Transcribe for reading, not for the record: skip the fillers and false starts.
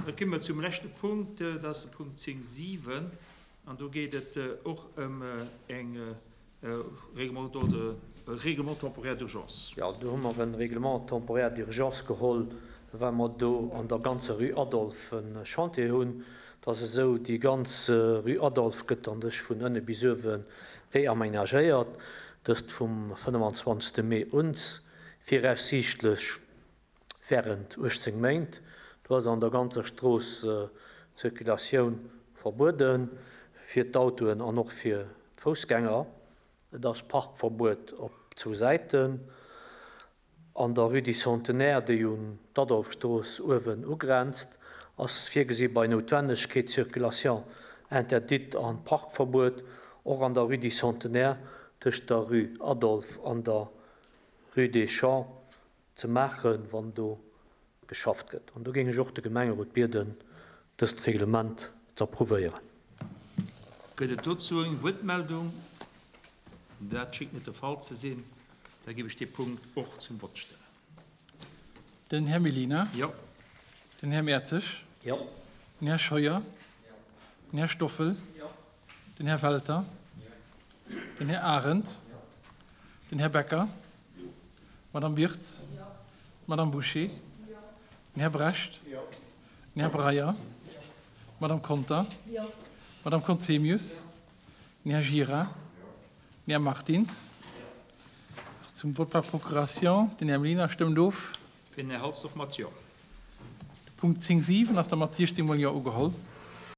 Da komme mer zum leschte Punkt, dat ass de Punkt 10, 7. An do geet et och ëm eng Règlement d'ordre, Règlement temporaire d'urgence. Jo, do hu mer e Règlement temporaire d'urgence geholl, well mer do an der ganzer Rue Adolphe e Chantier hunn. Et ass esou, déi ganz Rue Adolphe gëtt an sech vun ënne bis uewe reaménagéiert, dëst vum 25. Mee un, viraussiichtlech während 18 Méint. Do ass an der ganzer Strooss d'Circulatioun verbuede fir d'Autoen an och fir d'Foussgänger. Et ass Parkverbuet op zwou Säiten. An der Rue du Centenaire, déi un d'Adolphe-Strooss uewen ugrenzt, ass virgesi bei Noutwennegkeet Circulation interdite an Parkverbuet. Och an der Rue du Centenaire tëscht der Rue Adolphe an der Rue des Champs ze maachen, wann do geschafft gëtt. An do géing ech och de Gemengerot bieden, dëst Reglement ze approuvéieren. Gëtt et dozou eng Wuertmeldung? Dat schéngt net de Fall ze sinn. Da géif ech dee Punkt och zum Vott stellen. Den Här Mellina. Jo. Den Här Mertzig. Jo. Den Här Scheuer. Den Här Stoffel. Jo. Den Här Welter. Den Här Arendt. Den Här Becker. D'Madame Birtz. D'Madame Bouché. Den Här Brecht. Den Här Breyer. D'Madame Conter. D'Madame Conzemius. Den Här Gira. Den Här Martins. Zum Vote par procuration, den Här Mellina stëmmt of. Fir den Här Halsdorf mat Jo. De Punkt 10, 7 ass da mat 16 mol Jo ugeholl.